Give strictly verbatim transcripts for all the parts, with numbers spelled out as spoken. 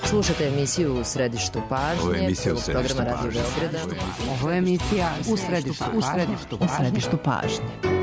Slušate emisiju U središtu pažnje. Ovo je emisija U središtu programa pažnje. Radio Beograda. Ovo je emisija U središtu pažnje. U središtu pažnje. U središtu pažnje.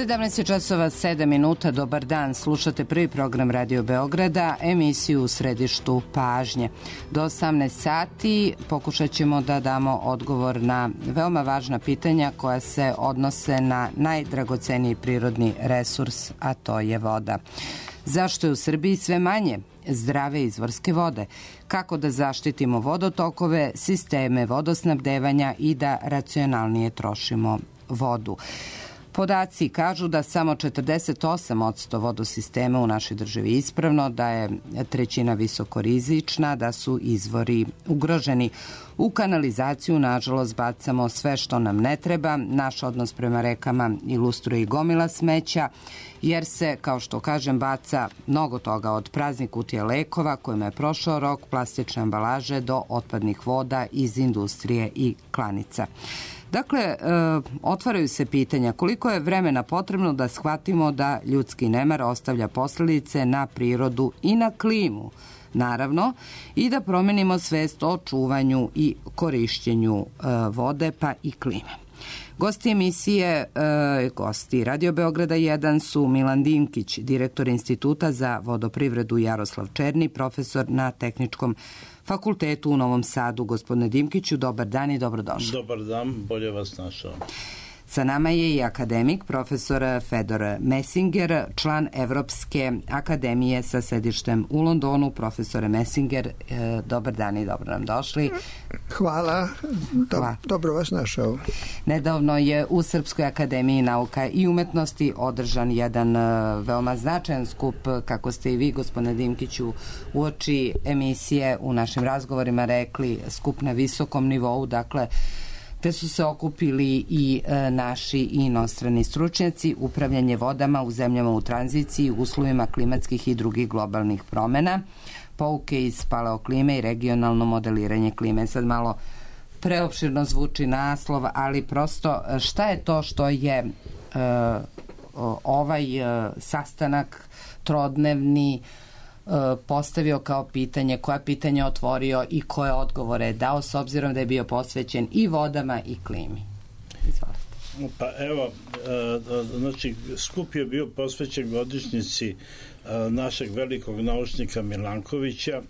sedamnaest časova sedam minuta, dobar dan, slušate prvi program Radio Beograda, emisiju U središtu pažnje. Do osamnaest sati pokušat ćemo da damo odgovor na veoma važna pitanja koja se odnose na najdragoceniji prirodni resurs, a to je voda. Zašto je u Srbiji sve manje zdrave izvorske vode? Kako da zaštitimo vodotokove, sisteme vodosnabdevanja i da racionalnije trošimo vodu? Podaci kažu da samo četrdeset osam posto vodosistema u našoj državi ispravno, da je trećina visokorizična, da su izvori ugroženi. U kanalizaciju, nažalost, bacamo sve što nam ne treba. Naš odnos prema rekama ilustruje i gomila smeća, jer se, kao što kažem, baca mnogo toga od praznih kutija lekova kojima je prošao rok, plastične ambalaže do otpadnih voda iz industrije i klanica. Dakle, e, otvaraju se pitanja koliko je vremena potrebno da shvatimo da ljudski nemar ostavlja posledice na prirodu i na klimu, naravno, i da promenimo svest o čuvanju i korišćenju e, vode pa i klime. Gosti emisije, e, gosti Radio Beograda jedan su Milan Dinkić, direktor Instituta za vodoprivredu, Jaroslav Černi, profesor na Tehničkom fakultetu u Novom Sadu. Gospodine Dimkiću, dobar dan i dobrodošli. Dobar dan, bolje vas našao. Sa nama je i akademik, profesor Fedor Messinger, član Evropske akademije sa sedištem u Londonu. Profesore Messinger, dobar dan i dobro nam došli. Hvala, Do, Hvala. Dobro vas našao. Nedavno je u Srpskoj akademiji nauka i umetnosti održan jedan veoma značajan skup, kako ste i vi, gospodine Dimkiću, uoči emisije u našim razgovorima rekli, skup na visokom nivou, dakle, te su se okupili i e, naši i inostrani stručnjaci, upravljanje vodama u zemljama u tranziciji, uslovima klimatskih i drugih globalnih promena, pouke iz paleoklime i regionalno modeliranje klime. Sad malo preopširno zvuči naslov, ali prosto šta je to što je e, ovaj e, sastanak trodnevni postavio kao pitanje, koja pitanja otvorio i koje odgovore je dao, s obzirom da je bio posvećen i vodama i klimi. Izvolite. Pa evo, znači skup je bio posvećen godišnjici našeg velikog naučnika Milankovića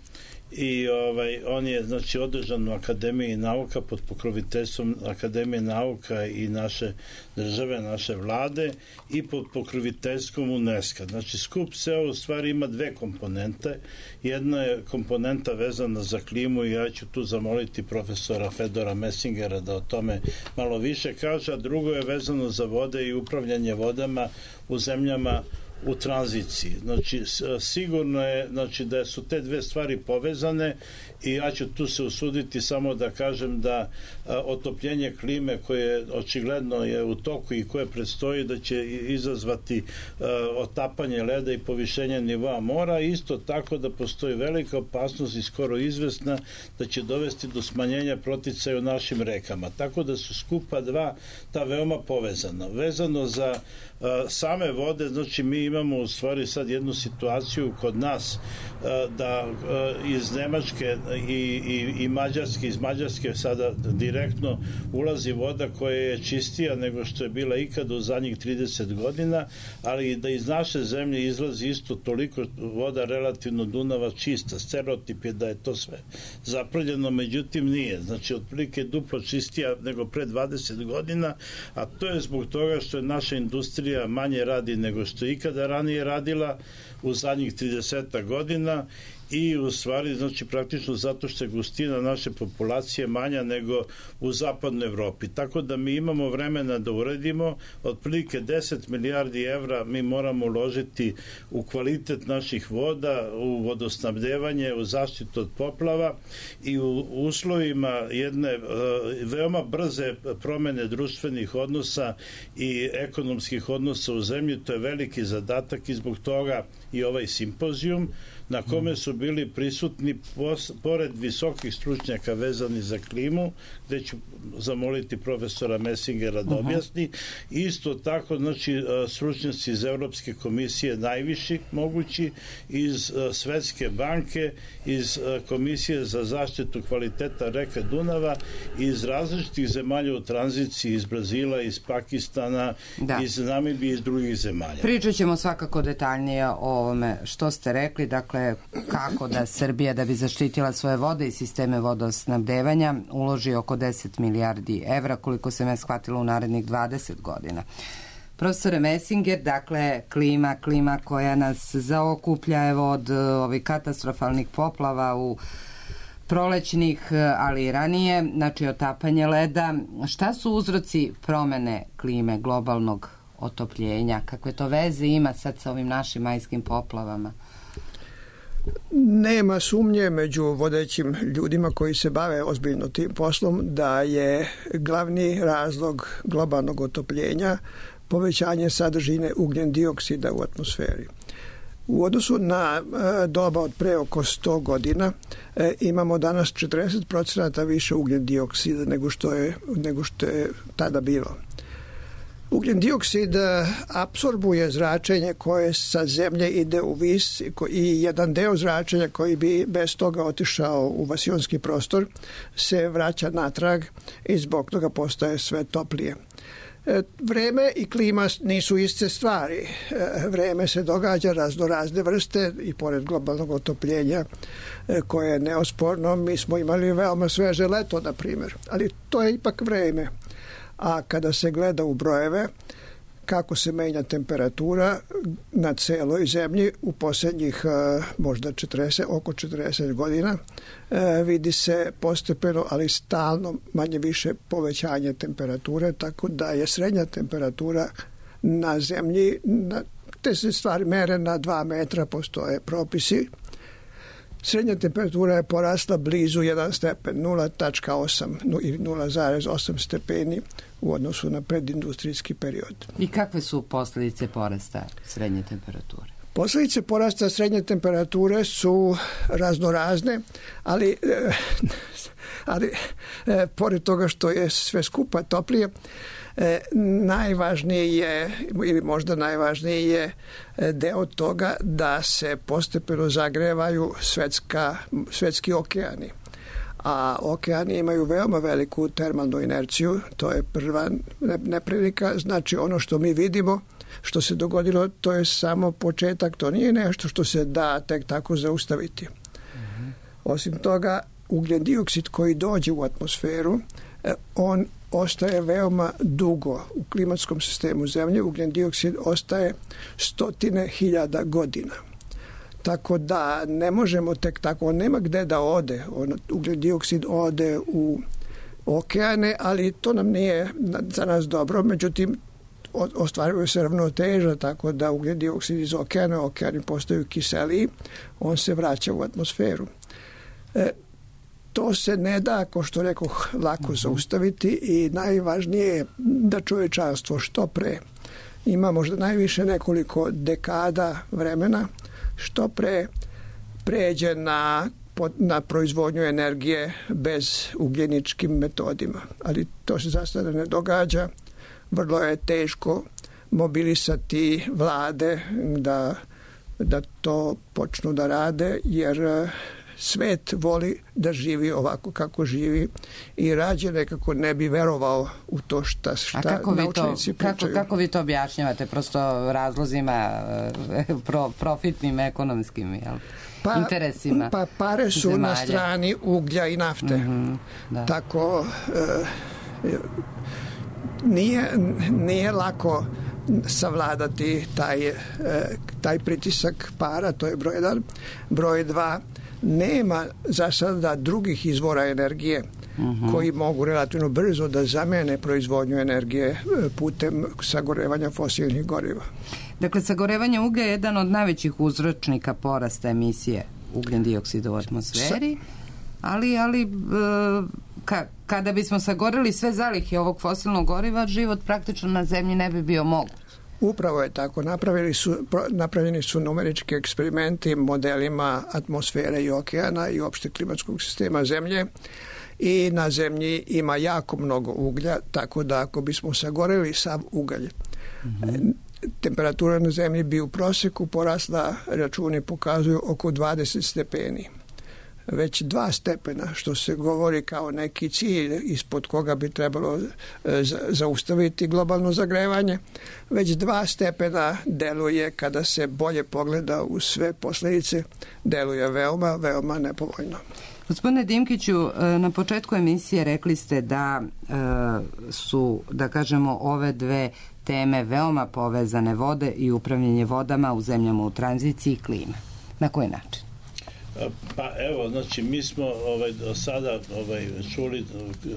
i ovaj, on je znači održan u Akademiji nauka pod pokroviteljstvom Akademije nauka i naše države, naše vlade i pod pokroviteljstvom UNESCO. Znači skup se u stvari ima dve komponente. Jedna je komponenta vezana za klimu i ja ću tu zamoliti profesora Fedora Messingera da o tome malo više kaže, a drugo je vezano za vode i upravljanje vodama u zemljama u tranziciji. Znači, sigurno je znači, da su te dve stvari povezane i ja ću tu se usuditi samo da kažem da a, otopljenje klime koje očigledno je u toku i koje predstoji da će izazvati a, otapanje leda i povišenje nivoa mora, isto tako da postoji velika opasnost i skoro izvesna da će dovesti do smanjenja proticaja u našim rekama. Tako da su skupa dva ta veoma povezana. Vezano za a, same vode, znači mi imamo u stvari sad jednu situaciju kod nas a, da a, iz Nemačke i, i, i Mađarske, iz Mađarske sada direktno ulazi voda koja je čistija nego što je bila ikada u zadnjih trideset godina, ali i da iz naše zemlje izlazi isto toliko voda relativno Dunava čista. Stereotip je da je to sve zaprljeno, međutim nije. Znači, otprilike duplo čistija nego pre dvadeset godina, a to je zbog toga što je naša industrija manje radi nego što je ikada ranije radila u zadnjih trideset godina i u stvari, znači praktično zato što je gustina naše populacije manja nego u zapadnoj Evropi. Tako da mi imamo vremena da uredimo, otprilike deset milijardi evra mi moramo uložiti u kvalitet naših voda, u vodosnabdevanje, u zaštitu od poplava i u uslovima jedne uh, veoma brze promene društvenih odnosa i ekonomskih odnosa u zemlji. To je veliki zadatak i zbog toga i ovaj simpozijum na kome su bili prisutni pos, pored visokih stručnjaka vezani za klimu, gde ću zamoliti profesora Messingera da objasni. Isto tako, znači, stručnjaci iz Evropske komisije najviši mogući, iz Svetske banke, iz Komisije za zaštitu kvaliteta reke Dunava, iz različitih zemalja u tranziciji, iz Brazila, iz Pakistana, da. iz Namibije i iz drugih zemalja. Pričat ćemo svakako detaljnije o ovome što ste rekli, dakle kako da Srbija, da bi zaštitila svoje vode i sisteme vodosnabdevanja, uloži oko deset milijardi evra, koliko sam ja shvatila, u narednih dvadeset godina. Profesore Messinger, dakle, klima, klima koja nas zaokuplja, evo, od ovih katastrofalnih poplava u prolećnih, ali i ranije, znači otapanje leda. Šta su uzroci promene klime, globalnog otopljenja? Kakve to veze ima sad sa ovim našim majskim poplavama? Nema sumnje među vodećim ljudima koji se bave ozbiljno tim poslom da je glavni razlog globalnog otopljenja povećanje sadržine ugljen dioksida u atmosferi. U odnosu na e, doba od pre oko sto godina e, imamo danas četrdeset procenata više ugljen dioksida nego što je, nego što je tada bilo. Ugljen dioksid apsorbuje zračenje koje sa zemlje ide u vis i jedan deo zračenja koji bi bez toga otišao u vasionski prostor se vraća natrag i zbog toga postaje sve toplije. Vreme i klima nisu iste stvari. Vreme se događa razno razne vrste i pored globalnog otopljenja koje je neosporno. Mi smo imali veoma sveže leto, na primjer, ali to je ipak vreme. A kada se gleda u brojeve kako se menja temperatura na celoj zemlji u posljednjih možda četrdeset, oko četrdeset godina, vidi se postepeno, ali stalno manje više povećanje temperature, tako da je srednja temperatura na zemlji, na, te se stvari mere na dva metra, postoje propisi. Srednja temperatura je porasla blizu jedan stepen, nula zarez osam ili nula zarez osam stepeni u odnosu na predindustrijski period. I kakve su posljedice porasta srednje temperature? Posljedice porasta srednje temperature su raznorazne, ali, ali pored toga što je sve skupa toplije, najvažnije je, ili možda najvažniji je deo toga da se postepeno zagrevaju svetska, svetski okeani. A okeani imaju veoma veliku termalnu inerciju, to je prva neprilika, znači ono što mi vidimo, što se dogodilo, to je samo početak, to nije nešto što se da tek tako zaustaviti. Mm-hmm. Osim toga, ugljen dioksid koji dođe u atmosferu, on ostaje veoma dugo u klimatskom sistemu zemlje. Ugljen dioksid ostaje stotine hiljada godina. Tako da ne možemo tek tako, on nema gde da ode. On, ugljen dioksid ode u okeane, ali to nam nije za nas dobro. Međutim, ostvaruje se ravnoteža, tako da ugljen dioksid iz okeana, okeani postaju kiseliji, on se vraća u atmosferu. E, to se ne da, kao što rekoh, lako zaustaviti i najvažnije je da čovječanstvo što pre ima možda najviše nekoliko dekada vremena, što pre pređe na, na proizvodnju energije bez ugljeničkim metodima. Ali to se za sada ne događa. Vrlo je teško mobilisati vlade da, da to počnu da rade, jer svet voli da živi ovako kako živi i rađe nekako ne bi verovao u to šta, šta naučnici pričaju. Kako, kako vi to objašnjavate? Prosto razlozima pro, profitnim, ekonomskim, jel? Pa, interesima pa pare su zemalja na strani uglja i nafte. Mm-hmm, da. Tako e, nije, nije lako savladati taj, e, taj pritisak para, to je broj jedan. Broj dva, nema za sada drugih izvora energije uh-huh. koji mogu relativno brzo da zamene proizvodnju energije putem sagorevanja fosilnih goriva. Dakle, sagorevanje uglja je jedan od najvećih uzročnika porasta emisije ugljen dioksida u atmosferi, ali, ali ka, kada bismo sagoreli sve zalihe ovog fosilnog goriva, život praktično na zemlji ne bi bio moguć. Upravo je tako. Napravili su, napravljeni su numerički eksperimenti modelima atmosfere i okeana i opšte klimatskog sistema zemlje i na zemlji ima jako mnogo uglja, tako da ako bismo sagoreli sav ugalj, mm-hmm. temperatura na zemlji bi u proseku porasla, računi pokazuju, oko dvadeset stepeni. Već dva stepena, što se govori kao neki cilj ispod koga bi trebalo zaustaviti globalno zagrevanje, već dva stepena deluje, kada se bolje pogleda u sve posljedice, deluje veoma, veoma nepovoljno. Gospodine Dimkiću, na početku emisije rekli ste da su, da kažemo, ove dve teme veoma povezane, vode i upravljanje vodama u zemljama u tranziciji i klima. Na koji način? Pa evo, znači mi smo ovaj, do sada ovaj, čuli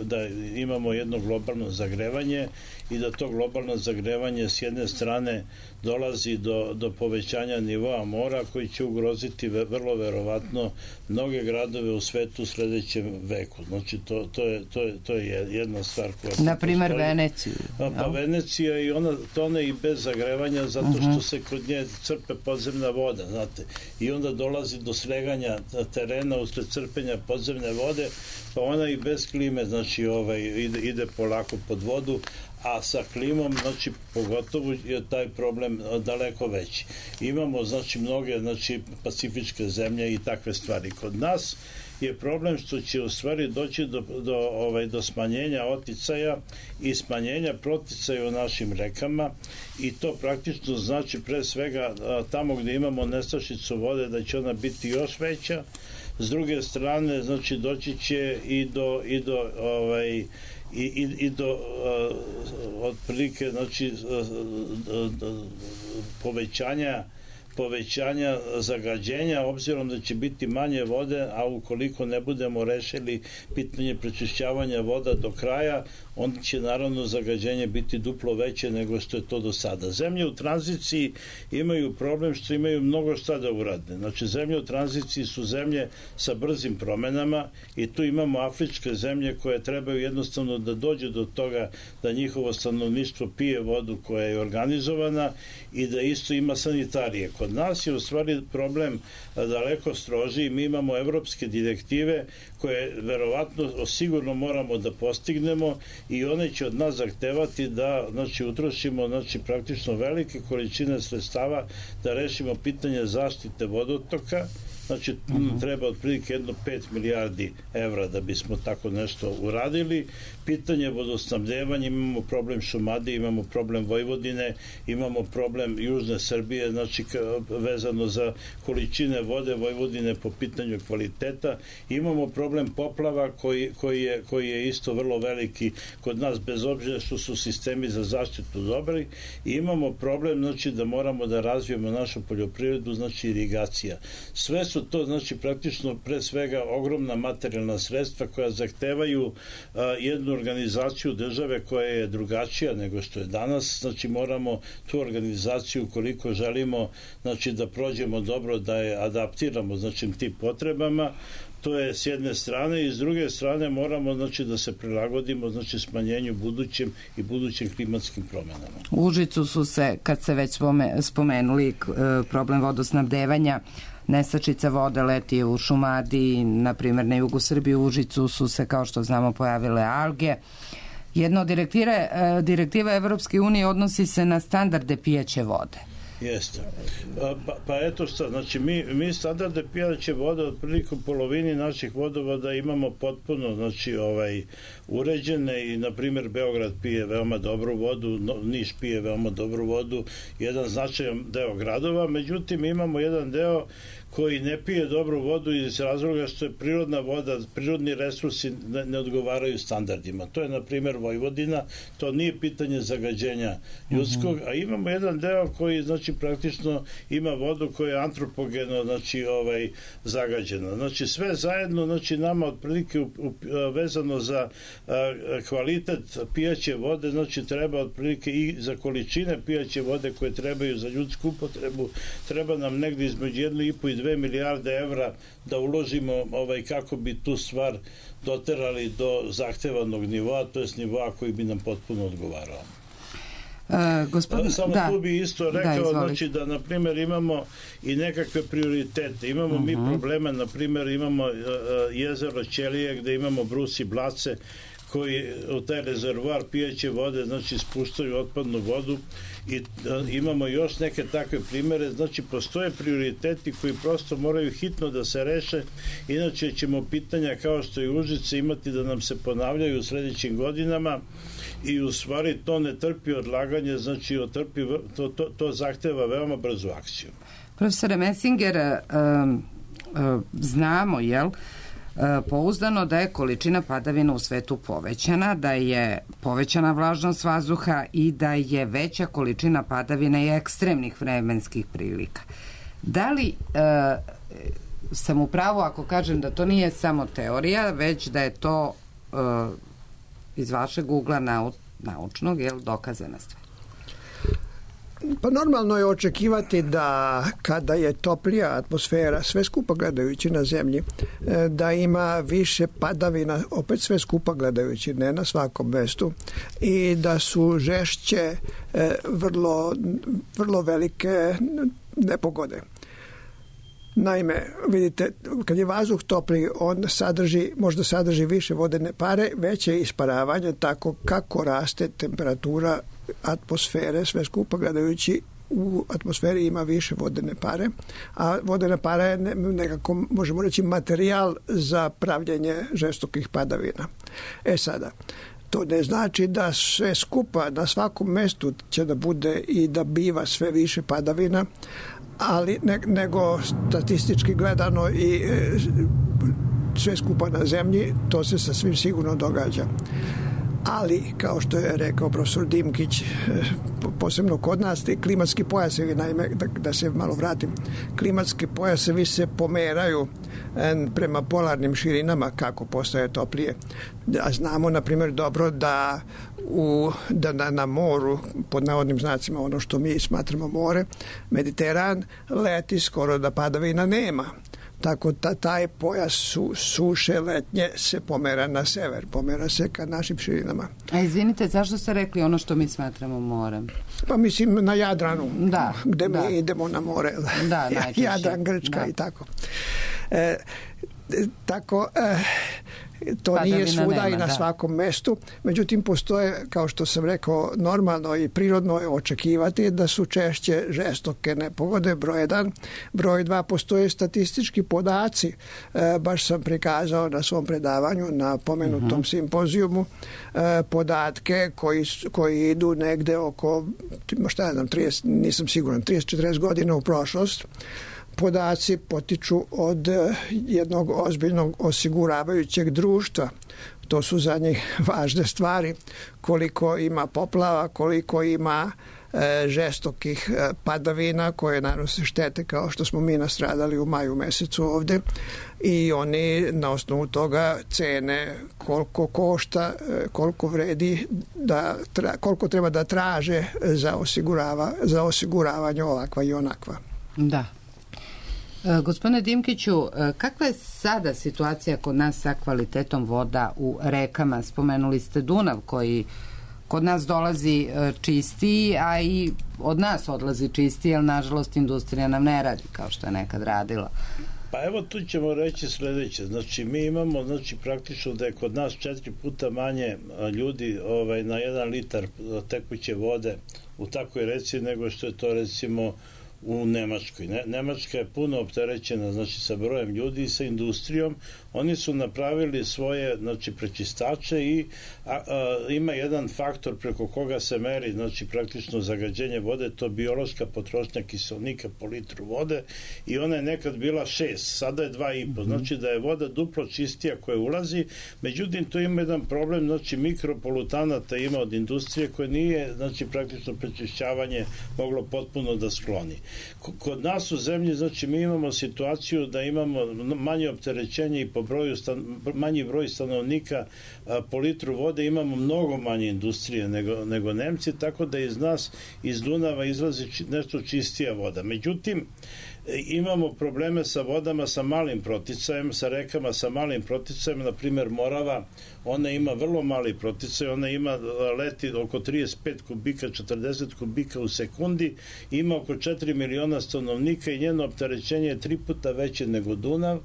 da imamo jedno globalno zagrevanje i da to globalno zagrevanje s jedne strane dolazi do, do povećanja nivoa mora koji će ugroziti vrlo verovatno mnoge gradove u svetu u sledećem veku. Znači to, to, je, to, je, to je jedna stvar koja... Na primer Veneciju. Pa, pa Venecija i ona tone i bez zagrevanja zato uh-huh. što se kod nje crpe podzemna voda, znate. I onda dolazi do sleganja terena usled crpenja podzemne vode, pa ona i bez klime, znači ovaj, ide, ide polako pod vodu, a sa klimom, znači, pogotovo je taj problem daleko veći. Imamo, znači, mnoge, znači, pacifičke zemlje i takve stvari. Kod nas je problem što će u stvari doći do, do, ovaj, do smanjenja oticaja i smanjenja proticaja u našim rekama i to praktično znači pre svega tamo gde imamo nestašicu vode da će ona biti još veća. S druge strane, znači, doći će i do, i do ovaj, i, i, i do uh, otprilike, znači, uh, uh, povećanja povećanja zagađenja, obzirom da će biti manje vode, a ukoliko ne budemo rešili pitanje prečišćavanja voda do kraja, onda će naravno zagađenje biti duplo veće nego što je to do sada. Zemlje u tranziciji imaju problem što imaju mnogo šta da urade. Znači, zemlje u tranziciji su zemlje sa brzim promenama i tu imamo afričke zemlje koje trebaju jednostavno da dođe do toga da njihovo stanovništvo pije vodu koja je organizovana i da isto ima sanitarije. Kod nas je u stvari problem daleko strožiji. Mi imamo evropske direktive koje verovatno sigurno moramo da postignemo i one će od nas zahtevati da, znači, utrošimo, znači, praktično velike količine sredstava da rešimo pitanje zaštite vodotoka. Znači, uh-huh. treba otprilike jedno pet milijardi evra da bismo tako nešto uradili. Pitanje vodosnabdevanja, imamo problem Šumadije, imamo problem Vojvodine, imamo problem Južne Srbije, znači vezano za količine vode Vojvodine po pitanju kvaliteta. Imamo problem poplava koji, koji, je, koji je isto vrlo veliki kod nas, bez obzira što su sistemi za zaštitu dobri. I imamo problem, znači, da moramo da razvijemo našu poljoprivredu, znači irigacija. Sve su su to znači praktično pre svega ogromna materijalna sredstva koja zahtevaju a, jednu organizaciju države koja je drugačija nego što je danas. Znači moramo tu organizaciju, koliko želimo znači da prođemo dobro, da je adaptiramo znači tim potrebama. To je s jedne strane, i s druge strane moramo znači da se prilagodimo znači smanjenju budućim i budućim klimatskim promenama. U Užicu su se, kad se već spomenuli problem vodosnabdevanja, nestašica vode leti u Šumadiji, na primjer na jugu Srbije, u Užicu su se, kao što znamo, pojavile alge. Jedna od direktiva Evropske unije odnosi se na standarde pijaće vode. Jeste. Pa, pa eto šta, znači mi, mi standarde pijaće vode otprilike u polovini naših vodovoda imamo potpuno znači ovaj uređene i na primjer Beograd pije veoma dobru vodu, Niš pije veoma dobru vodu, jedan značajan deo gradova, međutim imamo jedan deo koji ne pije dobru vodu iz razloga što je prirodna voda, prirodni resursi ne, ne odgovaraju standardima. To je na primjer Vojvodina, to nije pitanje zagađenja ljudskog, a imamo jedan deo koji znači praktično ima vodu koja je antropogeno znači ovaj zagađena. Znači sve zajedno znači nama otprilike vezano za a, kvalitet pijaće vode, znači treba otprilike i za količine pijaće vode koje trebaju za ljudsku upotrebu, treba nam negdje između jednu i po i dve milijarde evra da uložimo ovaj, kako bi tu stvar doterali do zahtevanog nivoa, to je nivoa koji bi nam potpuno odgovarao. E, gospodin, Samo da, tu bi isto rekao da, znači, da na primjer imamo i nekakve prioritete. Imamo uh-huh. mi probleme, na primjer imamo uh, jezero Ćelije gde imamo brus i blace koji u taj rezervoar pijaće vode znači spuštaju otpadnu vodu i a, imamo još neke takve primere, znači postoje prioriteti koji prosto moraju hitno da se reše, inače ćemo pitanja kao što je Užice imati da nam se ponavljaju u sledećim godinama i u stvari to ne trpi odlaganje, znači otrpi, to, to, to zahteva veoma brzu akciju. Profesore Messinger, um, um, znamo, jel, pouzdano da je količina padavina u svetu povećana, da je povećana vlažnost vazduha i da je veća količina padavina i ekstremnih vremenskih prilika. Da li e, sam u pravu ako kažem da to nije samo teorija, već da je to e, iz vašeg ugla nau, naučnog, jel, dokazana stvar? Pa normalno je očekivati da kada je toplija atmosfera, sve skupa gledajući na zemlji, da ima više padavina, opet sve skupa gledajući, ne na svakom mestu, i da su žešće vrlo, vrlo velike nepogode. Naime, vidite, kad je vazduh topli, on sadrži, možda sadrži više vodene pare, veće isparavanje, tako kako raste temperatura atmosfere, sve skupa gledajući, u atmosferi ima više vodene pare, a vodena para je nekako, možemo reći, materijal za pravljenje žestokih padavina. E sada, to ne znači da sve skupa na svakom mestu će da bude i da biva sve više padavina, ali ne, nego statistički gledano i e, sve skupa na zemlji, to se sasvim sigurno događa. Ali, kao što je rekao profesor Dimkić, posebno kod nas, te klimatski pojasevi, naime, da, da se malo vratim, klimatski pojasevi se pomeraju prema polarnim širinama kako postaje toplije. A znamo, na primjer, dobro da, u, da na, na moru, pod navodnim znacima, ono što mi smatramo more, Mediteran, leti skoro da padavina nema. Tako da taj pojas su, suše letnje se pomera na sever, pomera se ka našim širinama. A izvinite, zašto ste rekli ono što mi smatramo morem? Pa mislim na Jadranu, da, gde da. mi idemo na more. Da, najčešće. Jadran, Grčka, da. I tako. E, tako... E, to Padavina nije svuda nema, i na da. svakom mestu, međutim postoje, kao što sam rekao, normalno i prirodno je očekivati da su češće žestoke nepogode, broj jedan. Broj dva, postoje statistički podaci, e, baš sam prikazao na svom predavanju na pomenutom uh-huh. simpozijumu e, podatke koji, koji idu negde oko, šta ja znam, trideset, nisam siguran, trideset do četrdeset godina u prošlost. Podaci potiču od jednog ozbiljnog osiguravajućeg društva. To su za njih važne stvari. Koliko ima poplava, koliko ima e, žestokih e, padavina koje nanose štete kao što smo mi nastradali u maju mesecu ovde i oni na osnovu toga cene koliko košta, e, koliko vredi, da tra, koliko treba da traže za, osigurava, za osiguravanje ovakva i onakva. Da. E, gospodine Dimkiću, e, kakva je sada situacija kod nas sa kvalitetom voda u rekama? Spomenuli ste Dunav koji kod nas dolazi e, čistiji, a i od nas odlazi čistiji, jer nažalost industrija nam ne radi kao što je nekad radila. Pa evo tu ćemo reći sledeće. Znači mi imamo znači praktično da je kod nas četiri puta manje ljudi ovaj, na jedan litar tekuće vode u takvoj reci nego što je to recimo u Nemačkoj. Ne, Nemačka je puno opterećena znači sa brojem ljudi i sa industrijom. Oni su napravili svoje znači prečistače i a, a, ima jedan faktor preko koga se meri znači praktično zagađenje vode, to biološka potrošnja kiselnika po litru vode i ona je nekad bila šest, sada je dva i po. Znači da je voda duplo čistija koja ulazi, međutim to ima jedan problem, znači mikropolutanata ima od industrije koje nije znači praktično prečišćavanje moglo potpuno da skloni. Kod nas u zemlji, znači mi imamo situaciju da imamo manje opterećenje i po broju stan, manji broj stanovnika a, po litru vode, imamo mnogo manje industrije nego, nego Nemci, tako da iz nas, iz Dunava izlazi či, nešto čistija voda. Međutim, imamo probleme sa vodama sa malim proticajem, sa rekama sa malim proticajem, na primjer Morava, ona ima vrlo mali proticaj, ona ima leti oko trideset pet kubika, četrdeset kubika u sekundi, ima oko četiri miliona stanovnika i njeno opterećenje je tri puta veće nego Dunav,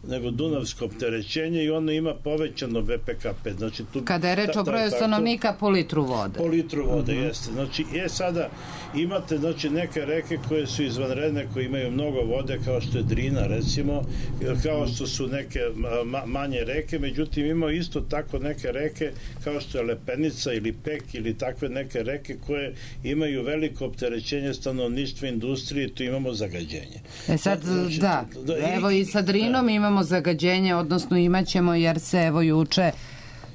nego dunavsko opterećenje i ono ima povećano B P K P. Znači, tu, kada je reč o broju stanovnika po litru vode. Po litru vode, uh-huh. Jeste. Znači, je sada imate znači, neke reke koje su izvanredne, koje imaju mnogo vode, kao što je Drina, recimo, kao što su neke ma, manje reke, međutim imamo isto tako neke reke, kao što je Lepenica ili Pek ili takve neke reke koje imaju veliko opterećenje stanovništva, industrije, tu imamo zagađenje. E sad, znači, da, da, evo i sa Drinom da. Imamo zagađenje, odnosno imaćemo, jer se evo juče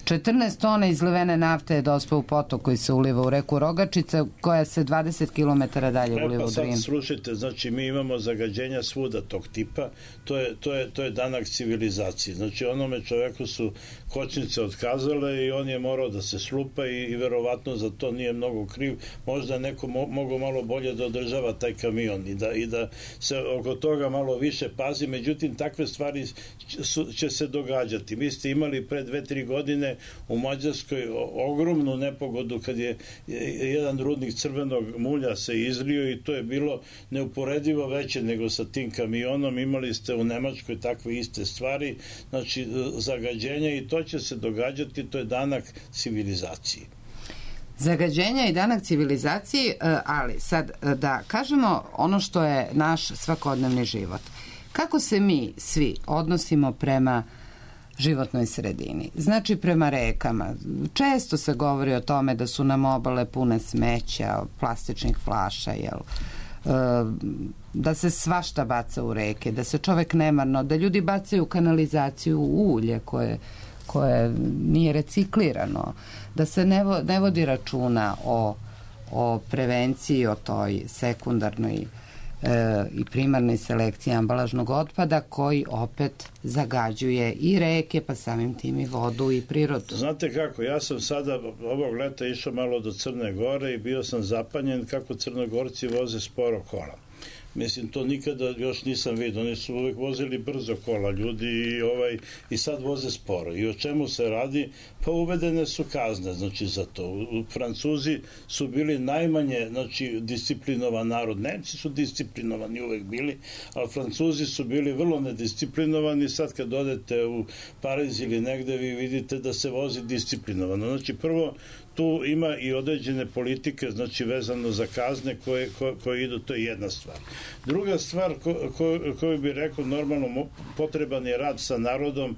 četrnaest tona izlivene nafte je dospeo u potok koji se uliva u reku Rogačica, koja se dvadeset kilometara dalje e, uliva pa u Drin. Sad slušajte, znači mi imamo zagađenja svuda tog tipa, to je, to je, to je danak civilizacije. Znači onome čoveku su kočnice otkazale i on je morao da se slupa i, i verovatno za to nije mnogo kriv. Možda neko mo, mogo malo bolje da održava taj kamion i da, i da se oko toga malo više pazi, međutim takve stvari su, će se događati. Vi ste imali pre dve, tri godine u Mađarskoj ogromnu nepogodu kad je jedan rudnik crvenog mulja se izlio i to je bilo neuporedivo veće nego sa tim kamionom. Imali ste u Nemačkoj takve iste stvari, znači zagađenja, i to će se događati, to je danak civilizaciji. Zagađenja i danak civilizaciji, ali sad da kažemo ono što je naš svakodnevni život. Kako se mi svi odnosimo prema životnoj sredini? Znači prema rekama. Često se govori o tome da su nam obale pune smeća, plastičnih flaša, jel? Da se svašta baca u reke, da se čovek nemarno, da ljudi bacaju kanalizaciju u ulje koje, koje nije reciklirano, da se ne, vo, ne vodi računa o, o prevenciji, o toj sekundarnoj e, i primarnoj selekciji ambalažnog otpada koji opet zagađuje i reke, pa samim tim i vodu i prirodu. Znate kako, ja sam sada ovog leta išao malo do Crne Gore i bio sam zapanjen kako Crnogorci voze sporo kola. Mislim, to nikada još nisam vidio. Oni su uvek vozili brzo kola ljudi i, ovaj, i sad voze sporo. I o čemu se radi? Pa uvedene su kazne, znači, za to. U, Francuzi su bili najmanje, znači, disciplinovan narod. Nemci su disciplinovani uvek bili, ali Francuzi su bili vrlo nedisciplinovani. Sad kad odete u Pariz ili negde, vi vidite da se vozi disciplinovano. Znači, prvo, tu ima i određene politike, znači vezano za kazne koje, koje, koje idu, to je jedna stvar. Druga stvar ko, ko, koju bih rekao, normalno potreban je rad sa narodom,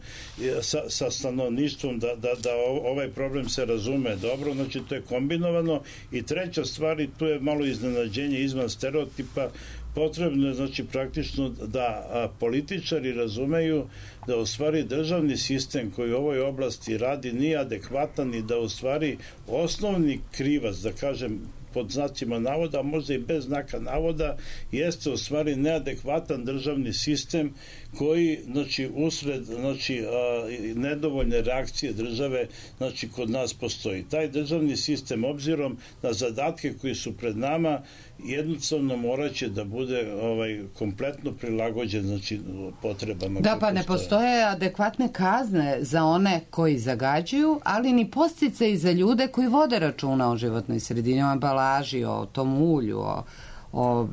sa, sa stanovništvom, da, da, da ovaj problem se razume dobro, znači to je kombinovano. I treća stvar, i tu je malo iznenađenje izvan stereotipa, potrebno je, znači, praktično da a, političari razumeju da u stvari državni sistem koji u ovoj oblasti radi nije adekvatan i da u stvari osnovni krivac, da kažem, pod znacima navoda, a možda i bez znaka navoda, jeste u stvari neadekvatan državni sistem koji, znači, usred, znači, a, nedovoljne reakcije države, znači, kod nas postoji. Taj državni sistem, obzirom na zadatke koji su pred nama, jednostavno moraće da bude ovaj kompletno prilagođen, znači, potrebama. Da, pa ne postoje adekvatne kazne za one koji zagađuju, ali ni podsticaji za ljude koji vode računa o životnoj sredini, o ambalaži, o tom ulju, o, o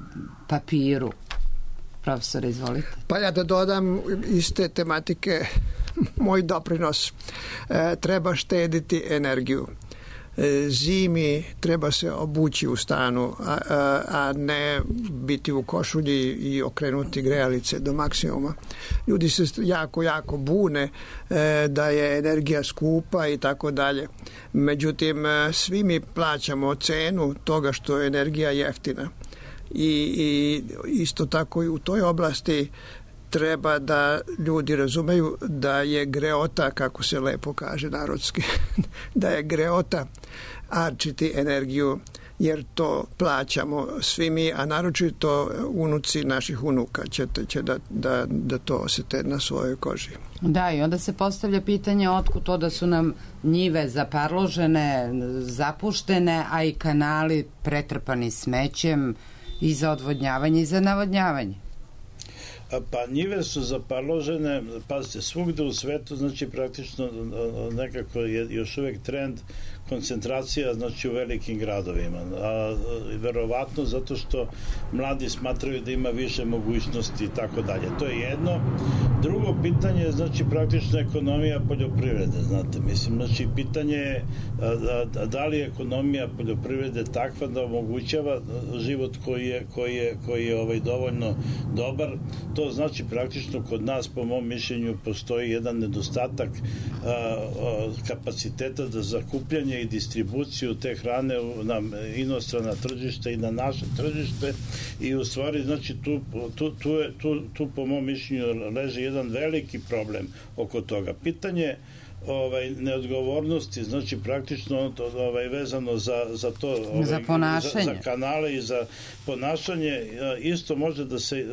papiru. Profesor, izvolite. Pa ja da dodam iz te tematike moj doprinos. E, treba štediti energiju. E, zimi treba se obući u stanu, a, a, a ne biti u košulji i okrenuti grejalice do maksimuma. Ljudi se jako, jako bune e, da je energija skupa i tako dalje. Međutim, svi mi plaćamo cenu toga što je energija jeftina. I, i isto tako i u toj oblasti treba da ljudi razumeju da je greota, kako se lepo kaže narodski, da je greota arčiti energiju, jer to plaćamo svi mi, a naročito unuci naših unuka će, će da, da, da to osjete na svojoj koži. Da, i onda se postavlja pitanje otkud to da su nam njive zaparložene, zapuštene, a i kanali pretrpani smećem i za odvodnjavanje i za navodnjavanje. Pa njive su zaparložene, pazite, svugde u svetu, znači praktično nekako je još uvek trend koncentracija, znači, u velikim gradovima. A, verovatno zato što mladi smatraju da ima više mogućnosti i tako dalje. To je jedno. Drugo pitanje je, znači, praktično ekonomija poljoprivrede, znate, mislim, znači, pitanje je da, da li je ekonomija poljoprivrede takva da omogućava život koji je, koji je, koji je ovaj, dovoljno dobar. To znači praktično kod nas, po mom mišljenju, postoji jedan nedostatak a, a, kapaciteta za zakupljanje i distribuciju te hrane na inostrana tržišta i na naše tržište, i u stvari, znači, tu, tu, tu, je, tu, tu po mom mišljenju leži jedan veliki problem oko toga. Pitanje ovaj neodgovornosti, znači praktično ovaj vezano za za to, ovaj, za ponašanje, za, za kanale i za ponašanje, isto može da se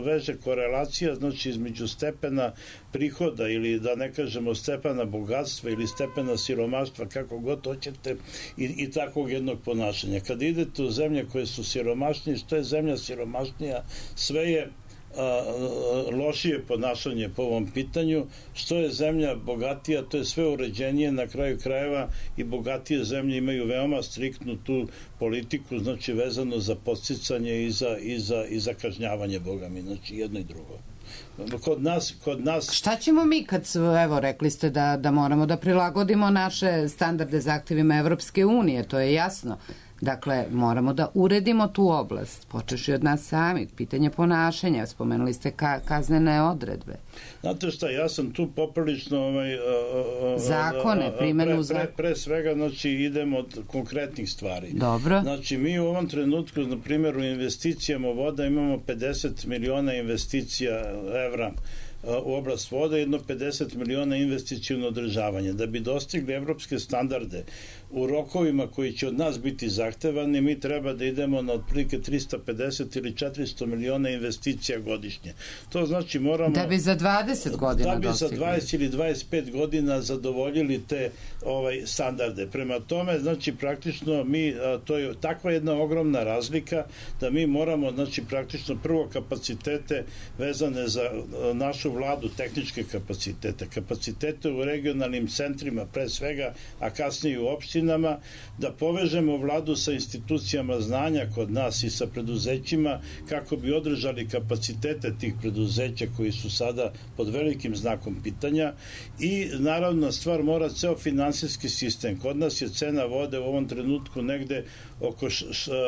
veže korelacija, znači, između stepena prihoda ili, da ne kažemo, stepena bogatstva ili stepena siromaštva, kako god hoćete, i, i takvog jednog ponašanja. Kad idete u zemlje koje su siromašnije, što je zemlja siromašnija, sve je A, lošije ponašanje po ovom pitanju. Što je zemlja bogatija, to je sve uređenije na kraju krajeva, i bogatije zemlje imaju veoma striktnu tu politiku, znači, vezano za podsticanje i za, i za, i za kažnjavanje, boga mi, znači, jedno i drugo. Kod nas, kod nas... Šta ćemo mi kad, evo, rekli ste da, da moramo da prilagodimo naše standarde zahtevima Evropske unije, to je jasno. Dakle, moramo da uredimo tu oblast, počeši od nas samih, pitanje ponašanja, spomenuli ste ka, kaznene odredbe. Znate šta, ja sam tu poprilično ovaj, zakone, primjenu pre, pre, pre svega, znači, idemo od konkretnih stvari. Dobro. Znači, mi u ovom trenutku, na primjer, u investicijama voda imamo pedeset miliona investicija evra u oblast voda, jedno pedeset miliona investicijno održavanje. Da bi dostigli evropske standarde u rokovima koji će od nas biti zahtevani, mi treba da idemo na otprilike trista pedeset ili četiristo miliona investicija godišnje. To znači moramo... Da bi za dvadeset godina dostigli. Da bi za dvadeset ili dvadeset pet godina zadovoljili te ovaj standarde. Prema tome, znači, praktično mi, to je takva jedna ogromna razlika da mi moramo, znači, praktično prvo kapacitete vezane za našu vladu, tehničke kapacitete, kapacitete u regionalnim centrima, pre svega, a kasnije u opštinama, da povežemo vladu sa institucijama znanja kod nas i sa preduzećima, kako bi održali kapacitete tih preduzeća koji su sada pod velikim znakom pitanja. I naravno, stvar mora ceo finansijski sistem. Kod nas je cena vode u ovom trenutku negde oko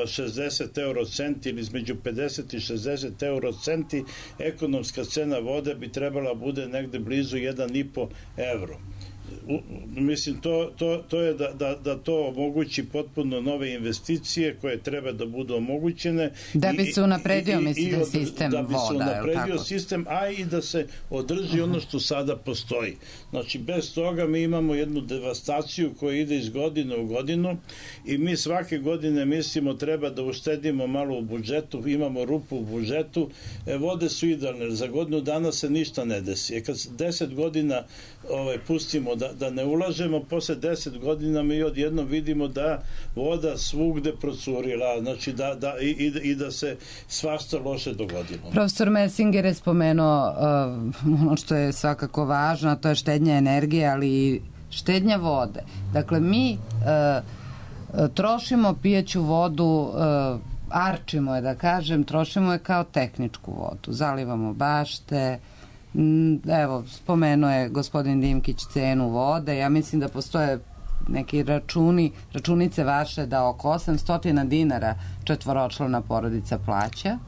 šezdeset eurocenti ili između pedeset i šezdeset eurocenti. Ekonomska cena vode bi trebala bude negde blizu jedan i po evro. mislim, to, to, to je da, da, da to omogući potpuno nove investicije koje treba da budu omogućene. Da bi se unapredio, mislim, sistem voda. Da bi se unapredio sistem, a i da se održi ono što sada postoji. Znači, bez toga mi imamo jednu devastaciju koja ide iz godine u godinu i mi svake godine mislimo treba da uštedimo malo u budžetu, imamo rupu u budžetu, e, vode su idealne, za godinu dana se ništa ne desi. E, kad deset godina ovaj, pustimo da, da ne ulažemo, posle deset godina mi odjednom vidimo da voda svugde procurila, znači da, da, i, i da se svašta loše dogodilo. Profesor Messinger je spomenuo uh, ono što je svakako važno, a to je štednja energije, ali i štednja vode. Dakle, mi uh, trošimo pijeću vodu, uh, arčimo je, da kažem, trošimo je kao tehničku vodu. Zalivamo bašte, evo, spomenuo je gospodin Dimkić cenu vode, ja mislim da postoje neki računi, računice vaše da oko osamsto dinara četvoročlana porodica plaća.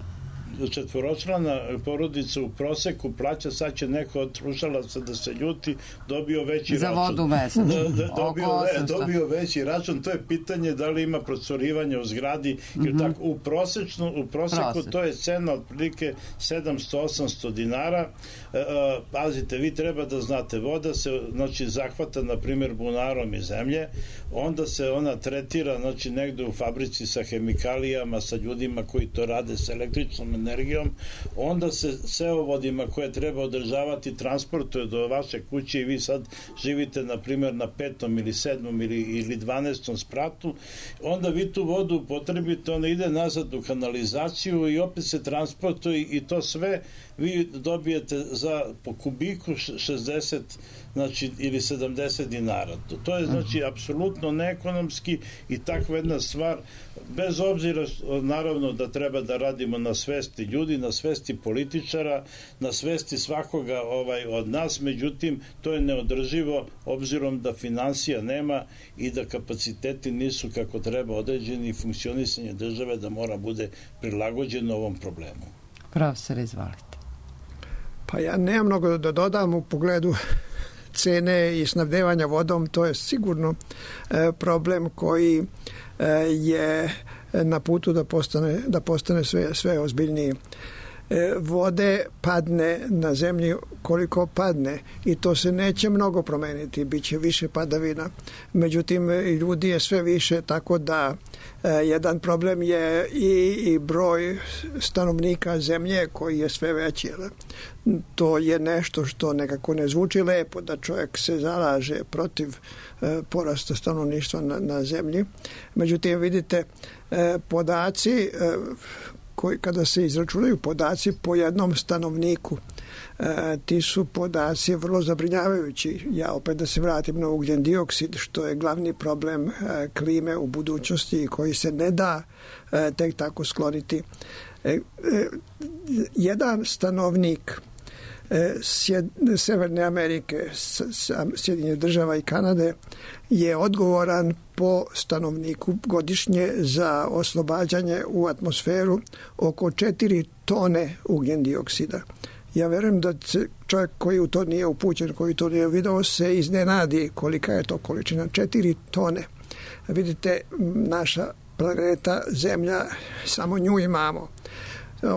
Četvoročlana porodica u proseku plaća, sad će neko od slušalaca da se ljuti, dobio veći za račun. Za vodu mesečno. Da, da, dobio, ve, dobio veći račun, to je pitanje da li ima procurivanje u zgradi, jer mm-hmm. tako, u, prosečno, u proseku Prosek. To je cena otprilike sedamsto do osamsto dinara. E, e, pazite, vi treba da znate, voda se znači, zahvata, na primjer, bunarom iz zemlje, onda se ona tretira znači, negde u fabrici sa hemikalijama, sa ljudima koji to rade sa električnom energijom, onda se seovodima koje treba održavati transportuje do vaše kuće i vi sad živite na primjer na petom ili sedmom ili, ili dvanaestom spratu, onda vi tu vodu upotrebite, ona ide nazad u kanalizaciju i opet se transportuje i to sve vi dobijete za po kubiku šezdeset znači, ili sedamdeset dinara. To, to je znači apsolutno neekonomski i takva jedna stvar, bez obzira naravno da treba da radimo na svesti ljudi, na svesti političara, na svesti svakoga ovaj, od nas, međutim to je neodrživo obzirom da finansija nema i da kapaciteti nisu kako treba određeni i funkcionisanje države da mora bude prilagođeno ovom problemu. Profesor, izvolite. Pa ja nemam mnogo da dodam u pogledu cene i snabdevanja vodom, to je sigurno e, problem koji e, je na putu da postane, da postane sve, sve ozbiljniji. E, vode padne na zemlji koliko padne i to se neće mnogo promeniti, bit će više padavina. Međutim, ljudi je sve više, tako da e, jedan problem je i, i broj stanovnika zemlje koji je sve veći. To je nešto što nekako ne zvuči lepo, da čovjek se zalaže protiv e, porasta stanovništva na, na zemlji. Međutim, vidite, e, podaci e, koji, kada se izračunaju podaci po jednom stanovniku, e, ti su podaci vrlo zabrinjavajući. Ja opet da se vratim na ugljen dioksid, što je glavni problem e, klime u budućnosti i koji se ne da e, tek tako skloniti. E, e, jedan stanovnik Sjed, Severne Amerike, Sjedinjenih država i Kanade je odgovoran po stanovniku godišnje za oslobađanje u atmosferu oko četiri tone ugljen dioksida. Ja verujem da čovjek koji u to nije upućen, koji to nije video, se iznenadi kolika je to količina. četiri tone. Vidite, naša planeta Zemlja, samo nju imamo.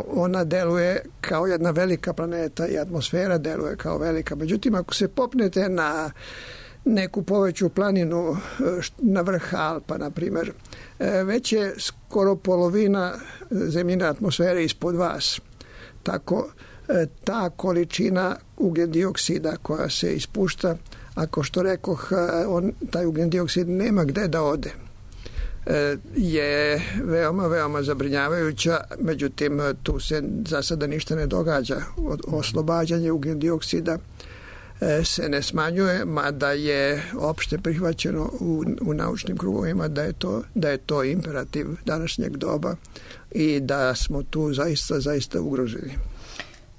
Ona deluje kao jedna velika planeta i atmosfera deluje kao velika. Međutim, ako se popnete na neku poveću planinu, na vrh Alpa, na primjer, već je skoro polovina zemljine atmosfere ispod vas. Tako, ta količina ugljen dioksida koja se ispušta, ako što rekoh, on, taj ugljen dioksid nema gde da ode, je veoma, veoma zabrinjavajuća, međutim tu se za sada ništa ne događa. Oslobađanje ugljen dioksida se ne smanjuje, mada je opšte prihvaćeno u, u naučnim krugovima da je, to, da je to imperativ današnjeg doba i da smo tu zaista, zaista ugroženi.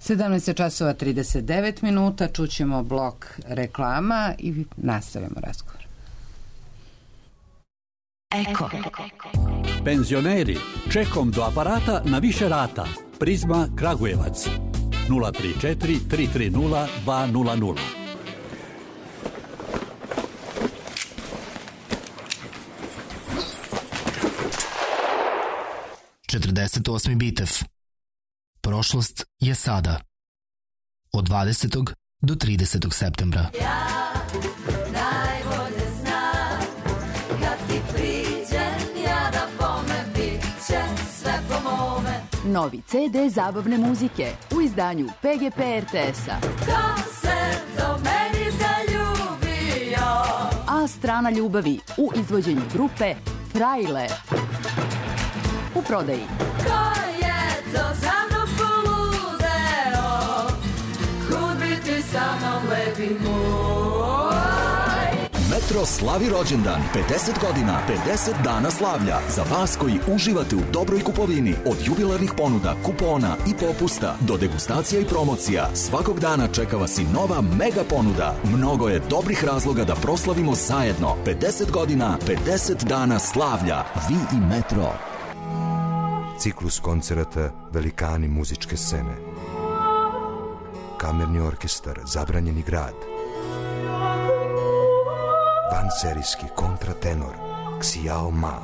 sedamnaest časova trideset devet minuta, čućemo blok reklama i nastavimo razgovor. Eko. Penzioneri, čekom do aparata na više rata. Prizma Kragujevac. nula tri četiri tri tri nula dva nula nula. četrdeset osmi Bitev. Prošlost je sada. Od dvadesetog do tridesetog septembra. Ja najbolje znam, kad ti priđem, ja da bome, bit će sve po mome. Novi ce de zabavne muzike u izdanju pe ge pe er te es-a. Ko se do meni zaljubio? A strana ljubavi u izvođenju grupe Frajle. U prodaji. Ko je to za mnom poludeo? Kud bi ti sa mnom lepi moj? Metro slavi rođendan, pedeset godina, pedeset dana slavlja. Za vas koji uživate u dobroj kupovini, od jubilarnih ponuda, kupona i popusta do degustacija i promocija, svakog dana čeka vas i nova mega ponuda. Mnogo je dobrih razloga da proslavimo zajedno. pedeset godina, pedeset dana slavlja. Vi i Metro. Ciklus koncerata Velikani muzičke scene. Kamerni orkestar Zabranjeni grad. Vanserijski kontratenor Xiao Ma.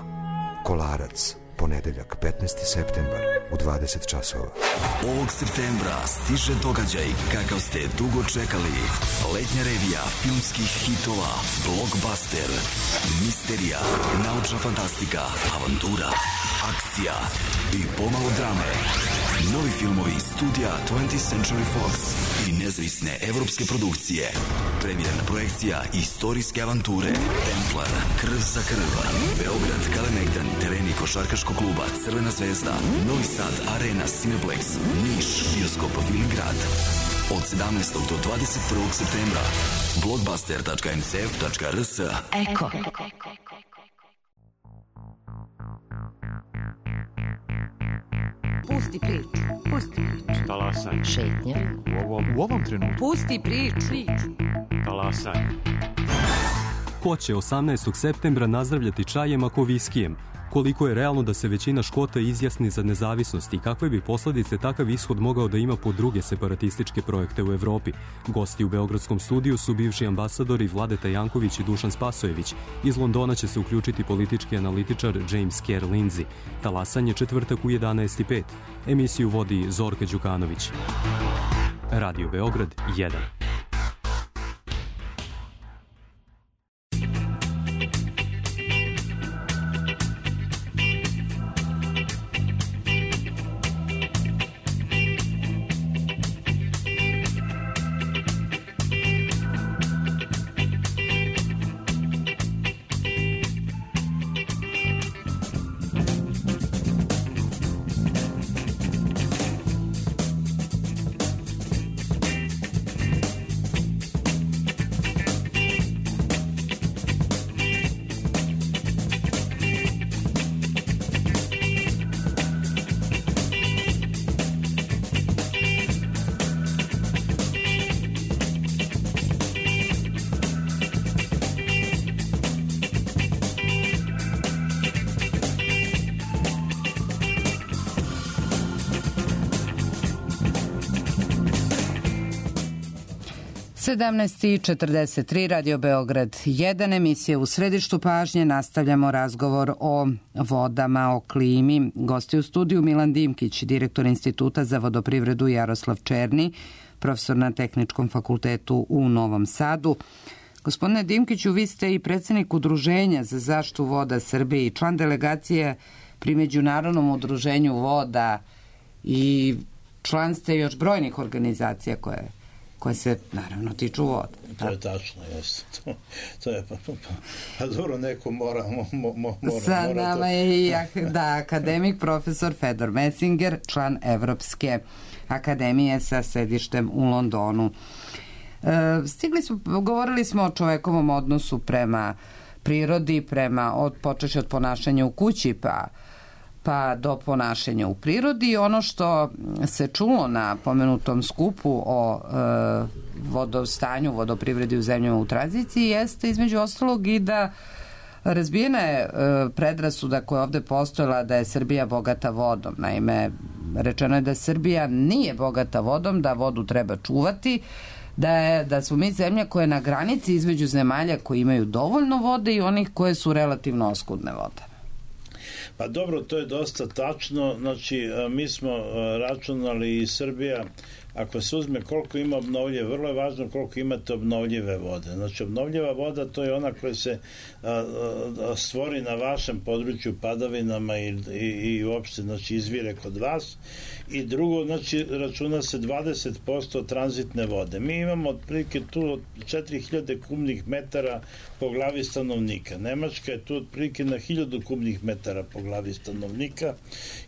Kolarac, ponedeljak petnaesti septembar u dvadeset časova. Ovog septembra stiže događaj kakav ste dugo čekali. Letnja revija filmskih hitova, blockbuster, misterija, naučna fantastika, avantura, akcija i pomalo drame. Novi filmovi studija twentieth Century Fox i nezavisne evropske produkcije. Premijerna projekcija istorijske avanture Templar, Krv za krv, Beograd, Kalemegdan, tereni košarkaškog kluba Crvena zvezda, Novi Sad, Arena, Cineplex, Niš, bioskop Viligrad. Od sedamnaestog do dvadeset prvog septembra. blockbuster tačka em ce ef tačka er es. Eko. Pusti priču. Pusti priču. Talasaj. Šetnja. U ovom, u ovom trenutku. Pusti priču. Talasaj. Ko će osamnaestog septembra nazdravljati čajem ako viskijem? Koliko je realno da se većina Škota izjasni za nezavisnost i kakve bi posledice takav ishod mogao da ima po druge separatističke projekte u Evropi? Gosti u Beogradskom studiju su bivši ambasadori Vladeta Janković i Dušan Spasojević. Iz Londona će se uključiti politički analitičar James Kerr Lindsay. Talasanje četvrtak u jedanaest i pet. Emisiju vodi Zorka Đukanović. Radio Beograd jedan. sedamnaest i četrdeset tri, Radio Beograd jedan, emisija u središtu pažnje. Nastavljamo razgovor o vodama, o klimi. Gosti u studiju Milan Dimkić, direktor Instituta za vodoprivredu, Jaroslav Černi, profesor na Tehničkom fakultetu u Novom Sadu. Gospodine Dimkiću, vi ste i predsjednik Udruženja za zaštitu voda Srbije i član delegacije pri Međunarodnom udruženju voda i član ste još brojnih organizacija koje koje se, naravno, tiču voda. To je tačno, jeste. To, to je, pa, pa, pa dobro, neko mora, mo, mo, mora, Sa mora nama to. je i da, akademik profesor Fedor Messinger, član Evropske akademije sa sedištem u Londonu. E, stigli smo, govorili smo o čovekovom odnosu prema prirodi, prema, od, počeši od ponašanja u kući, pa pa do ponašanja u prirodi. Ono što se čulo na pomenutom skupu o e, vodostanju, vodoprivredi u zemljama u tranziciji jeste između ostalog i da razbijena je e, predrasuda koja je ovde postojala da je Srbija bogata vodom. Naime, rečeno je da Srbija nije bogata vodom, da vodu treba čuvati, da, je, da smo mi zemlja koja je na granici između zemalja koji imaju dovoljno vode i onih koje su relativno oskudne vode. Pa dobro, to je dosta tačno. Znači, mi smo računali i Srbija, ako se uzme koliko ima obnovljive, vrlo je važno koliko imate obnovljive vode. Znači, obnovljiva voda to je ona koja se a, a, stvori na vašem području padavinama i, i, i uopšte, znači, izvire kod vas. I drugo, znači, računa se dvadeset posto tranzitne vode. Mi imamo otprilike tu četiri hiljade kubnih metara po glavi stanovnika. Nemačka je tu otprilike na hiljadu kubnih metara po glavi stanovnika.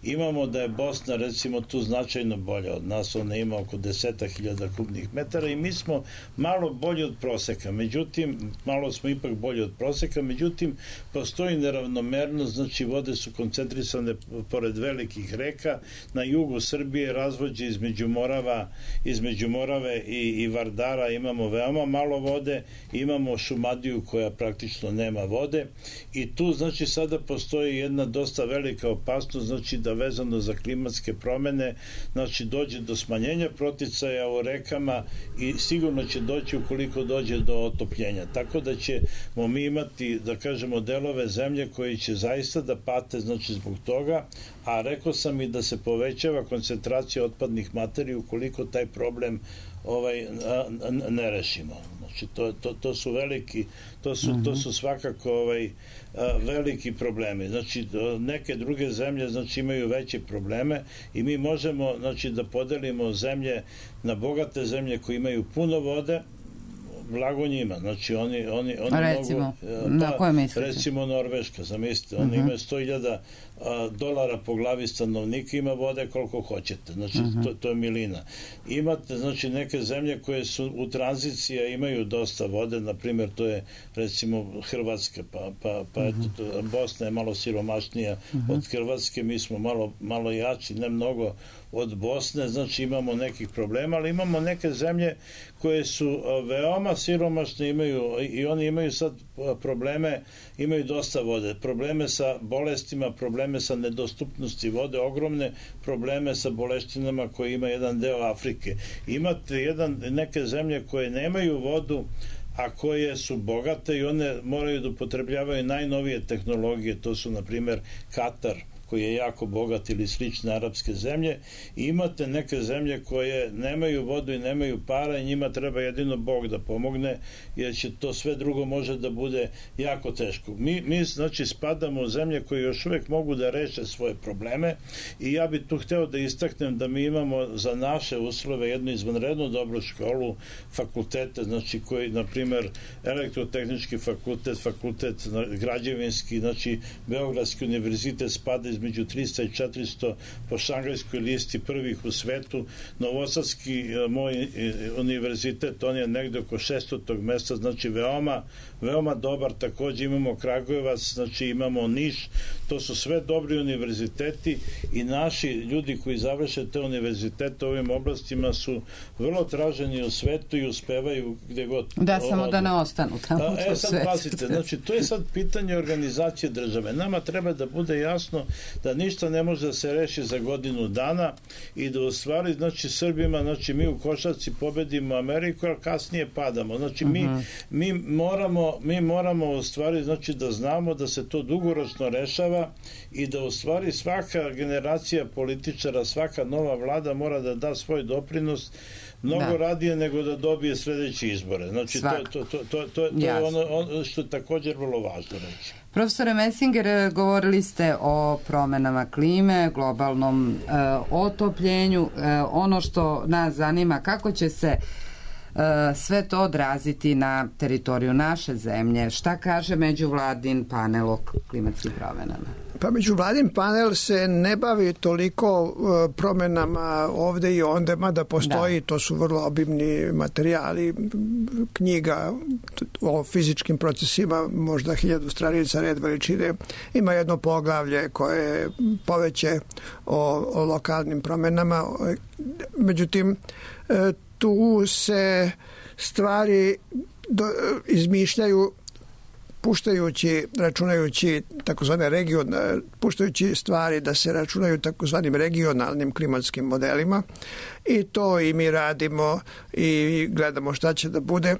Imamo da je Bosna, recimo, tu značajno bolja od nas, ona ima oko deseta hiljada kubnih metara i mi smo malo bolji od proseka, međutim, malo smo ipak bolji od proseka, međutim, postoji neravnomernost, znači vode su koncentrisane pored velikih reka, na jugu Srbije razvođe između Morava, između Morave i, i Vardara imamo veoma malo vode, imamo Šumadiju koja praktično nema vode i tu, znači, sada postoji jedna dosta velika opasnost, znači da vezano za klimatske promene, znači dođe do smanjenja proticaja u rekama i sigurno će doći ukoliko dođe do otopljenja. Tako da ćemo mi imati, da kažemo, delove zemlje koji će zaista da pate, znači, zbog toga, a rekao sam i da se povećava koncentracija otpadnih materija ukoliko taj problem ovaj ne rešimo. Znači, to, to, to su veliki, to su, to su svakako ovaj, veliki problemi. Znači, neke druge zemlje, znači, imaju veće probleme i mi možemo, znači, da podelimo zemlje na bogate zemlje koje imaju puno vode, blago njima, znači oni, oni, oni recimo, mogu, pa, na koje mislite? Recimo Norveška, zamislite, oni uh-huh. imaju sto hiljada dolara po glavi stanovnika, ima vode koliko hoćete, znači uh-huh. to, to je milina. Imate, znači, neke zemlje koje su u tranziciji, imaju dosta vode, na primjer to je recimo Hrvatska, pa, pa, pa uh-huh. eto, to, Bosna je malo siromašnija uh-huh. od Hrvatske, mi smo malo, malo jači, ne mnogo od Bosne, znači imamo nekih problema, ali imamo neke zemlje koje su veoma siromašne, imaju i oni imaju sad probleme, imaju dosta vode, probleme sa bolestima, probleme sa nedostupnosti vode, ogromne probleme sa boleštinama koje ima jedan deo Afrike. Imate jedan, neke zemlje koje nemaju vodu, a koje su bogate i one moraju da upotrebljavaju najnovije tehnologije, to su, na primjer, Katar, koji je jako bogat, ili slične arapske zemlje, i imate neke zemlje koje nemaju vodu i nemaju para i njima treba jedino Bog da pomogne, jer će to sve drugo može da bude jako teško. Mi, mi znači, spadamo u zemlje koje još uvek mogu da reše svoje probleme i ja bih tu hteo da istaknem da mi imamo za naše uslove jednu izvanrednu dobru školu, fakultete, znači koji, na primjer, elektrotehnički fakultet, fakultet građevinski, znači Beogradski univerzitet spada između trista i četiristo po šangajskoj listi prvih u svetu. Novosadski moj univerzitet, on je negde oko šestog mesta, znači veoma, veoma dobar. Takođe imamo Kragujevac, znači imamo Niš, to su sve dobri univerziteti i naši ljudi koji završe te univerzitete u ovim oblastima su vrlo traženi u svetu i uspevaju gde god. Da, samo od... da ne ostanu tamo u e, sad pasite, znači to je sad pitanje organizacije države. Nama treba da bude jasno da ništa ne može da se reši za godinu dana i da u stvari, znači, Srbima, znači, mi u košarci pobedimo Ameriku, ali kasnije padamo. Znači, mi, uh-huh. mi moramo, mi moramo u stvari, znači, da znamo da se to dugoročno rešava i da u stvari svaka generacija političara, svaka nova vlada mora da da svoj doprinos mnogo da. radije nego da dobije sledeće izbore. Znači, to, to, to, to, to, to je ono, ono što je također vrlo važno reći. Profesore Messinger, govorili ste o promenama klime, globalnom e, otopljenju. E, ono što nas zanima, kako će se e, sve to odraziti na teritoriju naše zemlje? Šta kaže međuvladin panel o klimatskim promenama? Pa međuvladin panel se ne bavi toliko uh, promenama ovde i onde, mada postoji, da. To su vrlo obimni materijali, knjiga o fizičkim procesima, možda hiljadu stranica red veličine. Ima jedno poglavlje koje je poveće o, o lokalnim promenama. Međutim, tu se stvari do, izmišljaju puštajući, računajući takozvane region, puštajući stvari da se računaju takozvanim regionalnim klimatskim modelima, i to i mi radimo i gledamo šta će da bude,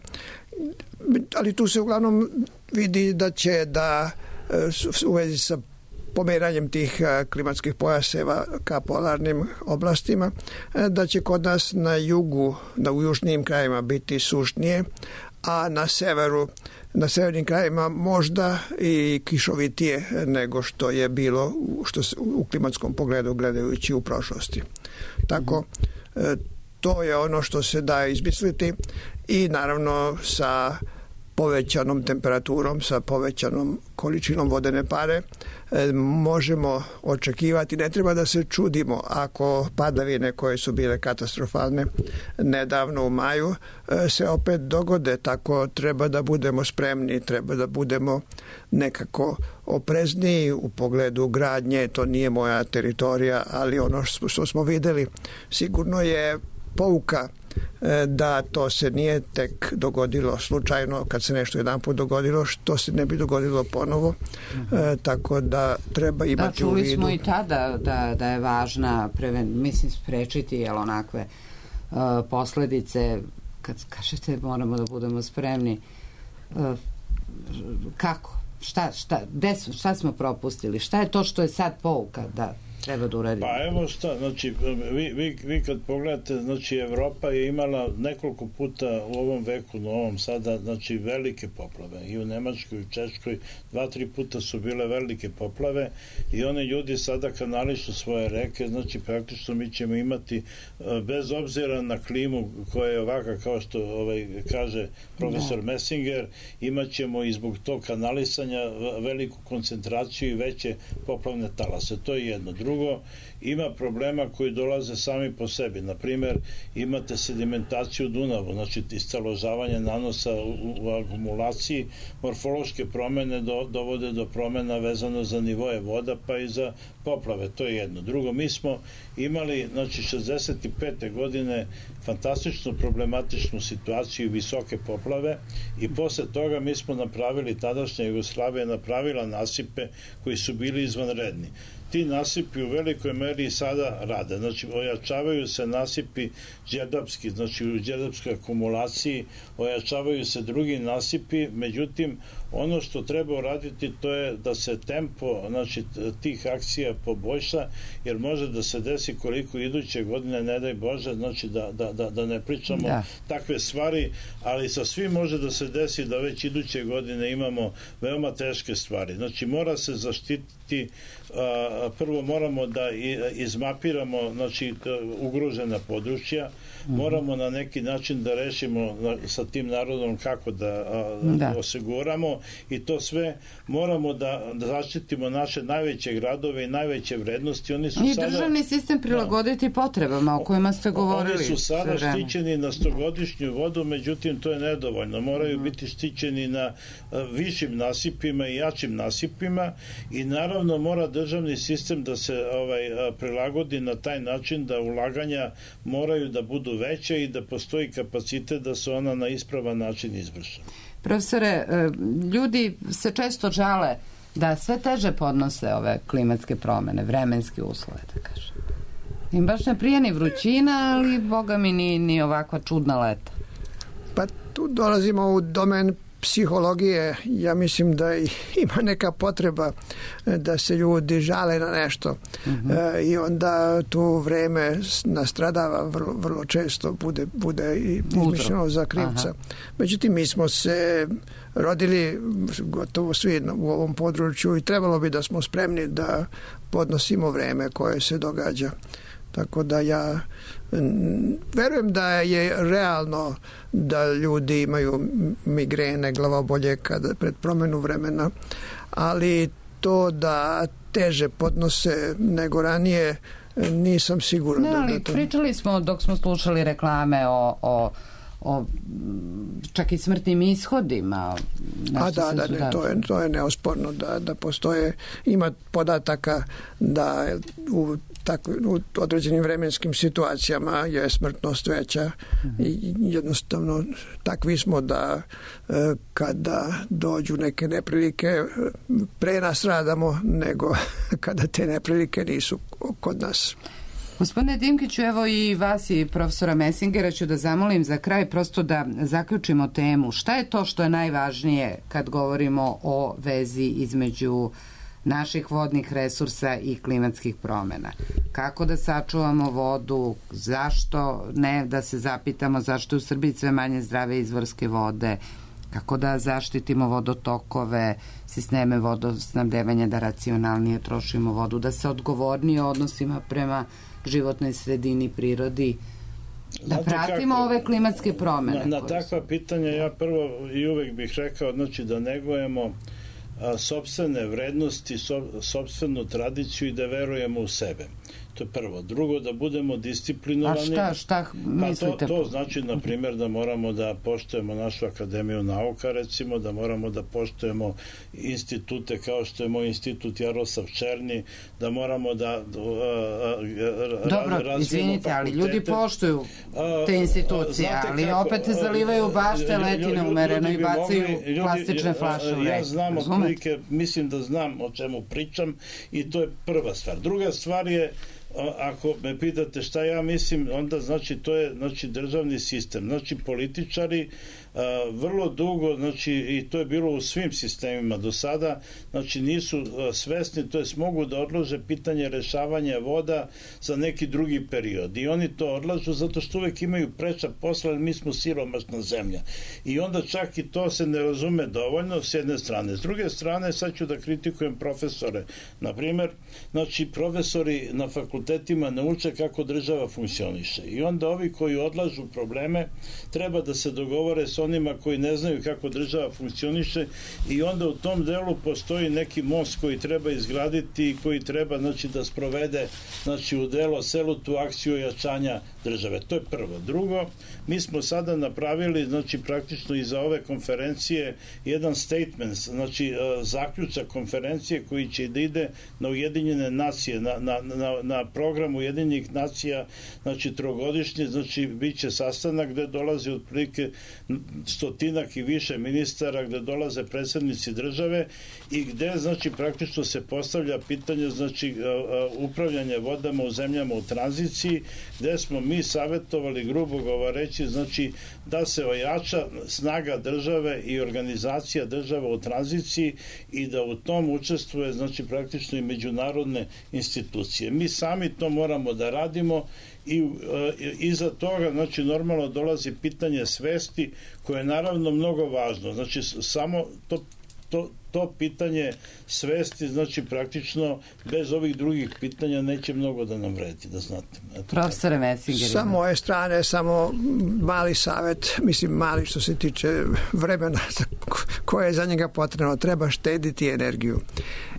ali tu se uglavnom vidi da će da u vezi sa pomeranjem tih klimatskih pojaseva ka polarnim oblastima, da će kod nas na jugu, da u južnijim krajima biti sušnije, a na severu, na severnim krajima možda i kišovitije nego što je bilo što se, u klimatskom pogledu gledajući u prošlosti. Tako, to je ono što se da izmisliti i naravno sa povećanom temperaturom, sa povećanom količinom vodene pare možemo očekivati, ne treba da se čudimo ako padavine koje su bile katastrofalne nedavno u maju se opet dogode, tako treba da budemo spremni, treba da budemo nekako oprezniji u pogledu gradnje, to nije moja teritorija, ali ono što smo videli sigurno je pouka da to se nije tek dogodilo slučajno, kad se nešto jedan put dogodilo, što se ne bi dogodilo ponovo, mm-hmm. e, tako da treba imati da, u vidu. Da, čuli smo i tada da, da je važna, preven, mislim, sprečiti jel, onakve uh, posledice, kad kažete moramo da budemo spremni, uh, kako? Šta, šta, des, šta smo propustili? Šta je to što je sad pouka da treba da uradimo? Pa evo šta, znači, vi, vi, vi kad pogledate, znači, Evropa je imala nekoliko puta u ovom veku novom sada, znači, velike poplave. I u Nemačkoj, i u Češkoj, dva, tri puta su bile velike poplave i oni ljudi sada kanališu svoje reke, znači, praktično mi ćemo imati, bez obzira na klimu koja je ovaka, kao što ovaj, kaže profesor da. Messinger, imat ćemo i zbog tog kanalisanja veliku koncentraciju i veće poplavne talase. To je jedno. Drugo, ima problema koji dolaze sami po sebi. Naprimer, imate sedimentaciju Dunavu, znači istaložavanje nanosa u, u akumulaciji, morfološke promene do, dovode do promena vezano za nivoje voda, pa i za poplave. To je jedno. Drugo, mi smo imali, znači, šezdeset pete godine fantastičnu problematičnu situaciju i visoke poplave i posle toga mi smo napravili, tadašnja Jugoslavija napravila nasipe koji su bili izvanredni. Ti nasipi u velikoj meri sada rade. Znači, ojačavaju se nasipi đerdapski, znači u đerdapskoj akumulaciji, ojačavaju se drugi nasipi, međutim, ono što treba uraditi to je da se tempo, znači, tih akcija poboljša, jer može da se desi koliko iduće godine, ne daj Bože, znači da, da, da, da ne pričamo da. takve stvari, ali sa svim može da se desi da već iduće godine imamo veoma teške stvari. Znači, mora se zaštititi, a, prvo moramo da izmapiramo, znači, ugrožena područja, moramo na neki način da rešimo sa tim narodom kako da, a, da. osiguramo i to sve moramo da, da zaštitimo naše najveće gradove i najveće vrednosti. Oni su I sada, državni sistem prilagoditi da, potrebama o kojima ste govorili. Oni su sada štićeni na stogodišnju vodu, međutim to je nedovoljno. Moraju mm. biti štićeni na a, višim nasipima i jačim nasipima i naravno mora državni sistem da se ovaj, a, prilagodi na taj način da ulaganja moraju da budu veće i da postoji kapacitet da se ona na ispravan način izvrše. Profesore, ljudi se često žale da sve teže podnose ove klimatske promene, vremenske uslove, da kažem. Im baš ne prija ni vrućina, ali boga mi ni, ni ovakva čudna leta. Pa tu dolazimo u domen psihologije. Ja mislim da ima neka potreba da se ljudi žale na nešto mm-hmm. e, i onda tu vreme nastradava vrlo, vrlo često, bude, bude i izmišljeno za krivca. Aha. Međutim, mi smo se rodili gotovo svi u ovom području i trebalo bi da smo spremni da podnosimo vreme koje se događa. Tako da ja verujem da je realno da ljudi imaju migrene, glavobolje kada pred promenu vremena, ali to da teže podnose nego ranije nisam siguran. Ne, ali da to... pričali smo dok smo slušali reklame o, o o čak i smrtnim ishodima. A da, da, ne, to je, to je neosporno da, da postoje, ima podataka da u, tako, u određenim vremenskim situacijama je smrtnost veća mm-hmm. i jednostavno takvi smo da kada dođu neke neprilike pre nas radamo nego kada te neprilike nisu kod nas. Gospodine Dimkiću, evo i vas i profesora Messingera ću da zamolim za kraj prosto da zaključimo temu. Šta je to što je najvažnije kad govorimo o vezi između naših vodnih resursa i klimatskih promena. Kako da sačuvamo vodu, zašto ne, da se zapitamo zašto je u Srbiji sve manje zdrave izvorske vode, kako da zaštitimo vodotokove, sisteme vodosnabdevanja, da racionalnije trošimo vodu, da se odgovornije odnosima prema životnoj sredini, prirodi, da Znate pratimo kako, ove klimatske promene. Na, na takva pitanja ja prvo i uvek bih rekao, znači da negujemo a, sopstvene vrednosti, so, sopstvenu tradiciju i da verujemo u sebe. To je prvo. Drugo, da budemo disciplinovani. A šta, šta mislite? Pa to, to znači, na primjer, da moramo da poštujemo našu akademiju nauka, recimo, da moramo da poštujemo institute kao što je moj institut Jaroslav Černi, da moramo da a, a, Dobro, razvijemo izvinite, ali fakultete. ljudi poštuju te institucije, Znate ali kako, opet zalivaju bašte letine umereno i bacaju mogli, plastične ljudi, flaše u reku. Ja znam otprilike, mislim da znam o čemu pričam i to je prva stvar. Druga stvar je, ako me pitate šta ja mislim, onda znači to je znači državni sistem. Znači političari a, vrlo dugo, znači i to je bilo u svim sistemima do sada, znači nisu a, svesni, to jest mogu da odlože pitanje rešavanja voda za neki drugi period. I oni to odlažu zato što uvek imaju preča posla, jer mi smo siromašna zemlja. I onda čak i to se ne razume dovoljno s jedne strane. S druge strane, sad ću da kritikujem profesore. Na primer, znači profesori na fakultetima ne uče kako država funkcioniše. I onda ovi koji odlažu probleme treba da se dogovore s onima koji ne znaju kako država funkcioniše i onda u tom delu postoji neki most koji treba izgraditi i koji treba znači da sprovede znači u delo celu tu akciju ojačanja države. To je prvo. Drugo, mi smo sada napravili znači praktično i za ove konferencije jedan statement, znači zaključak konferencije koji će da ide na Ujedinjene nacije, na, na, na, na program Ujedinjenih nacija, znači trogodišnje, znači bit će sastanak gde dolazi otprilike stotinak i više ministara, gde dolaze predsednici države i gde znači praktično se postavlja pitanje znači upravljanja vodama u zemljama u tranziciji, gde smo mi savjetovali, grubo govoreći, znači da se ojača snaga države i organizacija država u tranziciji i da u tom učestvuje znači praktično i međunarodne institucije. Mi sami to moramo da radimo i e, iza toga znači normalno dolazi pitanje svesti koje je naravno mnogo važno. Znači samo to to, to pitanje svesti, znači praktično bez ovih drugih pitanja neće mnogo da nam vredi, da znate. Eto, profesore Messinger. Sa moje strane samo mali savjet, mislim mali što se tiče vremena koje je za njega potrebno. Treba štediti energiju.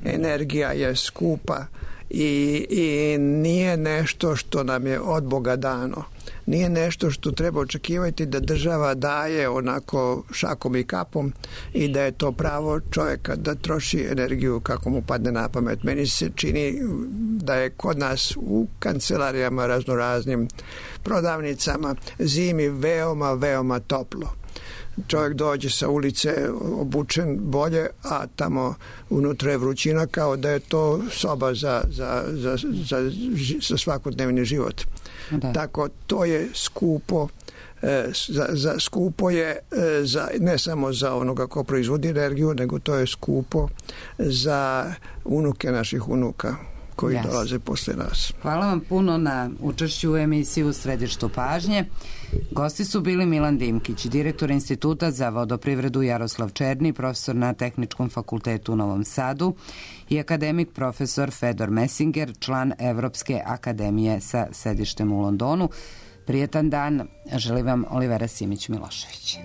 Energija je skupa i, i nije nešto što nam je od Boga dano. Nije nešto što treba očekivati da država daje onako šakom i kapom i da je to pravo čovjeka da troši energiju kako mu padne na pamet. Meni se čini da je kod nas u kancelarijama, raznoraznim prodavnicama zimi veoma, veoma toplo. Čovjek dođe sa ulice obučen bolje, a tamo unutra je vrućina kao da je to soba za, za, za, za, za svakodnevni život. Da. Tako to je skupo, e, za, za, skupo je e, za, ne samo za onoga ko proizvodi energiju, nego to je skupo za unuke naših unuka koji yes. dolaze posle nas. Hvala vam puno na učešću u emisiji U središtu pažnje. Gosti su bili Milan Dimkić, direktor Instituta za vodoprivredu Jaroslav Černi, profesor na Tehničkom fakultetu u Novom Sadu i akademik profesor Fedor Messinger, član Evropske akademije sa sedištem u Londonu. Prijetan dan, želim vam Olivera Simić-Milošević.